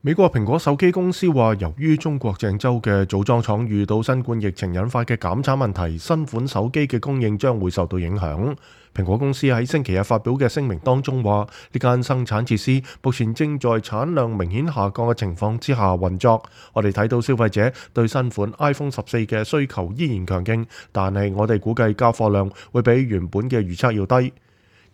美國蘋果手機公司話，由於中國鄭州嘅組裝廠遇到新冠疫情引發嘅減產問題，新款手機嘅供應將會受到影響。蘋果公司喺星期日發表嘅聲明當中話，呢間生產設施目前正在產量明顯下降嘅情況之下運作。我哋睇到消費者對新款 iPhone 14嘅需求依然強勁，但係我哋估計交貨量會比原本嘅預測要低。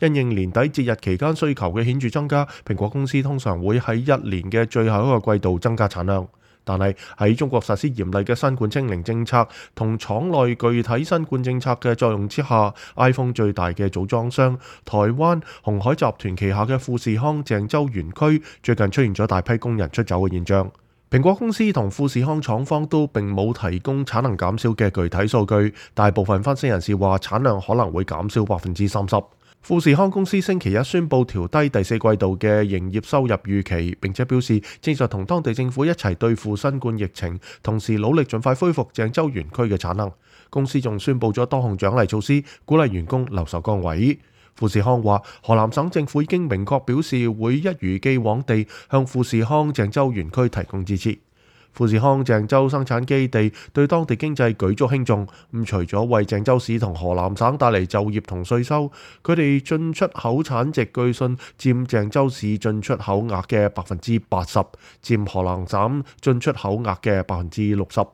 因應年底節日期間需求嘅顯著增加，蘋果公司通常會喺一年嘅最後一個季度增加產量。但係喺中國實施嚴厲嘅新冠清零政策同廠內具體新冠政策嘅作用之下， iPhone 最大嘅組裝商台灣鴻海集團旗下嘅富士康鄭州園區最近出現咗大批工人出走嘅現象。蘋果公司同富士康廠方都並冇提供產能減少嘅具體數據，大部分分析人士話產量可能會減少30%。富士康公司星期一宣布調低第四季度嘅營業收入預期，並且表示正在同當地政府一齊對付新冠疫情，同時努力盡快恢復鄭州園區嘅產能。公司仲宣布咗多項獎勵措施，鼓勵員工留守崗位。富士康話，河南省政府已經明確表示會一如既往地向富士康鄭州園區提供支持。富士康鄭州生產基地對當地經濟舉足輕重，除咗為鄭州市同河南省帶嚟就業同稅收，佢哋進出口產值據信佔鄭州市進出口額嘅80%，佔河南省進出口額嘅60%。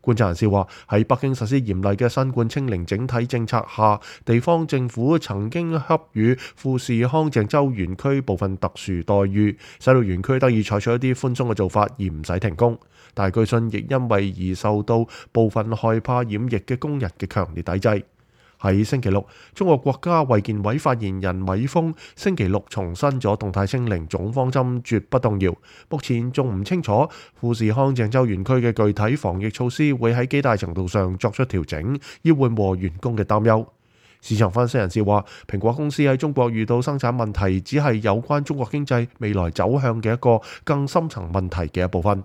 觀察人士話，喺北京實施嚴厲嘅新冠清零整體政策下，地方政府曾經給予富士康鄭州園區部分特殊待遇，使到園區得以採取一啲寬鬆嘅做法而唔使停工。但係據信亦因為而受到部分害怕染疫嘅工人嘅強烈抵制。喺星期六，中國國家衛健委發言人米峰星期六重申咗動態清零總方針絕不動搖。目前仲唔清楚富士康鄭州園區嘅具體防疫措施會喺幾大程度上作出調整，以緩和員工嘅擔憂。市場分析人士話，蘋果公司喺中國遇到生產問題，只係有關中國經濟未來走向嘅一個更深層問題嘅一部分。